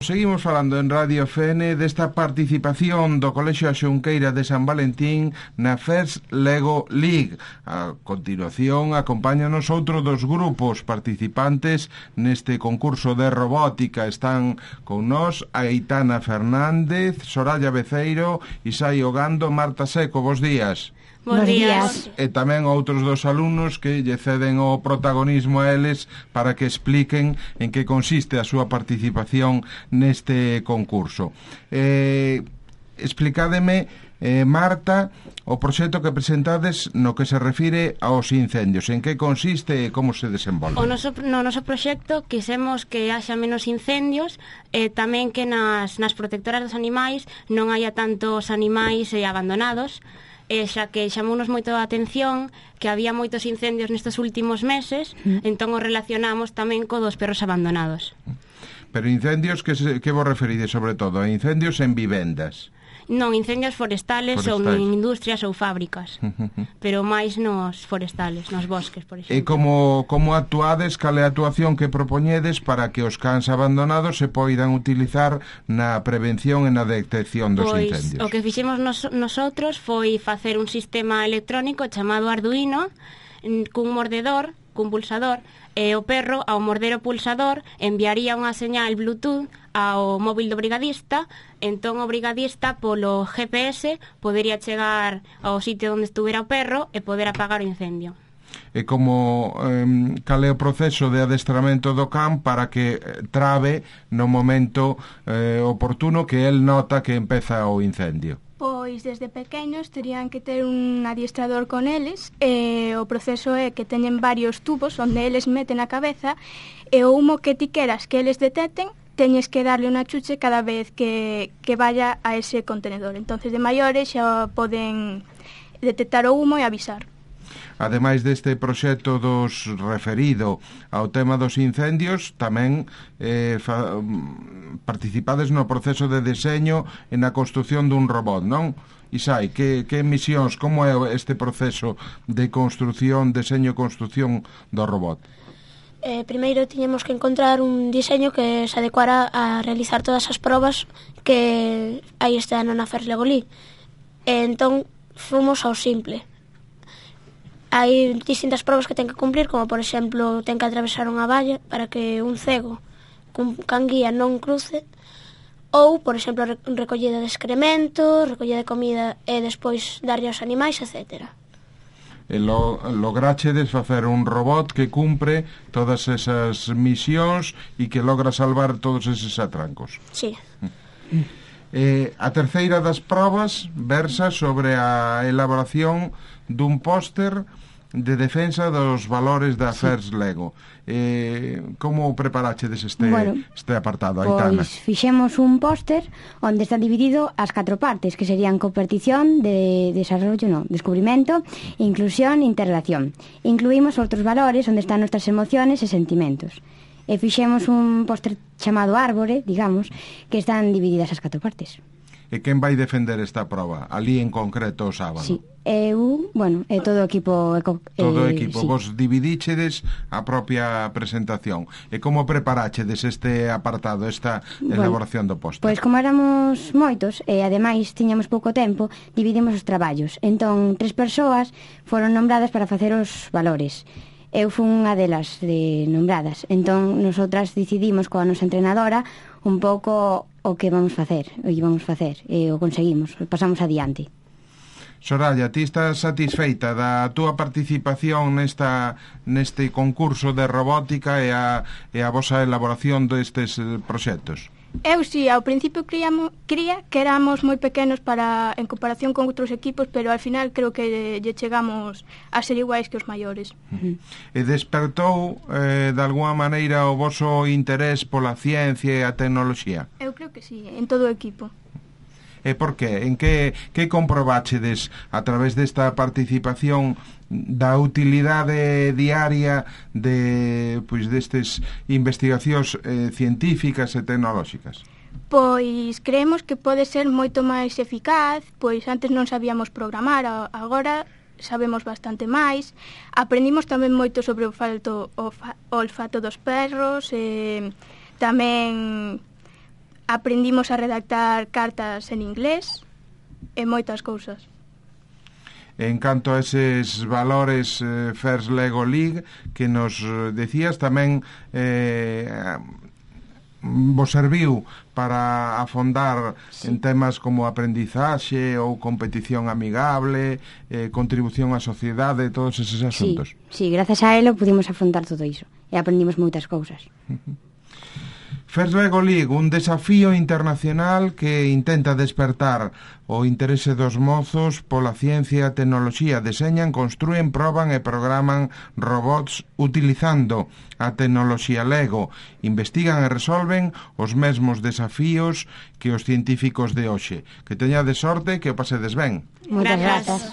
Seguimos falando en Radio FN desta participación do Colexio A Xunqueira de San Valentín na First Lego League. A continuación, acompáñanos outro dos grupos participantes neste concurso de robótica. Están con nós Aitana Fernández, Soraya Beceiro, Isai Ogando, Marta Seco. Bos días. Bos días. E tamén outros dos alumnos que lle ceden o protagonismo a eles para que expliquen en que consiste a súa participación neste concurso. Explicádeme, Marta, o proxecto que presentades no que se refire aos incendios. En que consiste e como se desenvolve? No noso proxecto quisemos que haxa menos incendios e tamén que nas protectoras dos animais non haya tantos animais abandonados, xa que chamounos moito a atención que había moitos incendios nestes últimos meses, entón o relacionamos tamén co dos perros abandonados. Pero incendios que vos referides sobre todo? A incendios en vivendas? Non, incendios forestales ou en industrias ou fábricas, pero máis nos forestales, nos bosques, por exemplo. E como actuades, cal é a actuación que propoñedes para que os cans abandonados se poidan utilizar na prevención e na detección dos incendios? O que fixemos nosotros foi facer un sistema electrónico chamado Arduino, cun mordedor, cun pulsador, e o perro, ao morder o pulsador, enviaría unha señal Bluetooth ao móvil do brigadista, entón o brigadista polo GPS podería chegar ao sitio onde estuvera o perro e poder apagar o incendio. E como cal é o proceso de adestramento do can para que trabe no momento oportuno que el nota que empeza o incendio? Pois desde pequenos terían que ter un adiestrador con eles e o proceso é que teñen varios tubos onde eles meten a cabeza e o humo que ti queras que eles detecten teñes que darle unha chuche cada vez que vaya a ese contenedor. Entonces de maiores xa poden detectar o humo e avisar. Ademais deste proxecto dos referido ao tema dos incendios, tamén participades no proceso de deseño e na construción dun robot, non? Isai, que misións, como é este proceso de construción, deseño e construción do robot? Primeiro tiñemos que encontrar un diseño que se adecuara a realizar todas as probas que hai este ano na First Lego League. Entón, fomos ao simple. Hai distintas probas que ten que cumplir, como por exemplo ten que atravesar unha valla para que un cego cun canguía non cruce, ou por exemplo recollida de excremento, recollida de comida e despois darlle aos animais, etc. E lograchedes facer un robot que cumpre todas esas misións e que logra salvar todos eses atrancos. Sí. A terceira das probas versa sobre a elaboración dun póster de defensa dos valores da First Lego. Como preparachedes este apartado, Aitana? Pois fixemos un póster onde está dividido as 4 partes, que serían cooperación, descubrimento, inclusión e interrelación. Incluímos outros valores onde están nuestras emociones e sentimentos. E fixemos un póster chamado Árbore, digamos, que están divididas as 4 partes. E quen vai defender esta proba? Ali en concreto o sábado? Sí, e todo o equipo. Todo o equipo, sí. Vos dividíchedes a propia presentación. E como preparachedes este apartado, esta elaboración do póster? Pois como éramos moitos, e ademais tiñamos pouco tempo, dividimos os traballos. Entón, 3 persoas foron nombradas para facer os valores. Eu fui unha delas nombradas. Entón, nosotras decidimos coa nosa entrenadora un pouco o que íbamos facer, e o conseguimos, pasamos adiante. Soraya, ti estás satisfeita da túa participación neste concurso de robótica e a vosa elaboración destes proxectos? Eu si, ao principio cría que éramos moi pequenos en comparación con outros equipos, pero ao final creo que lle chegamos a ser iguais que os maiores. E despertou de alguma maneira o voso interés pola ciencia e a tecnoloxía? Eu creo que si, en todo o equipo. E por qué? En que comprobachedes a través desta participación da utilidade diaria destes investigacións científicas e tecnolóxicas? Pois creemos que pode ser moito máis eficaz, pois antes non sabíamos programar, agora sabemos bastante máis. Aprendimos tamén moito sobre o olfato dos perros, tamén aprendimos a redactar cartas en inglés e moitas cousas. En canto a eses valores First Lego League que nos decías, tamén vos serviu para afondar en temas como aprendizaxe ou competición amigable, contribución á sociedade, todos eses asuntos. Sí, gracias a elo pudimos afrontar todo iso e aprendimos moitas cousas. First Lego League, un desafío internacional que intenta despertar o interese dos mozos pola ciencia e a tecnoloxía. Deseñan, construen, proban e programan robots utilizando a tecnoloxía Lego. Investigan e resolven os mesmos desafíos que os científicos de hoxe. Que teñades sorte, que o pasedes ben. Moitas grazas.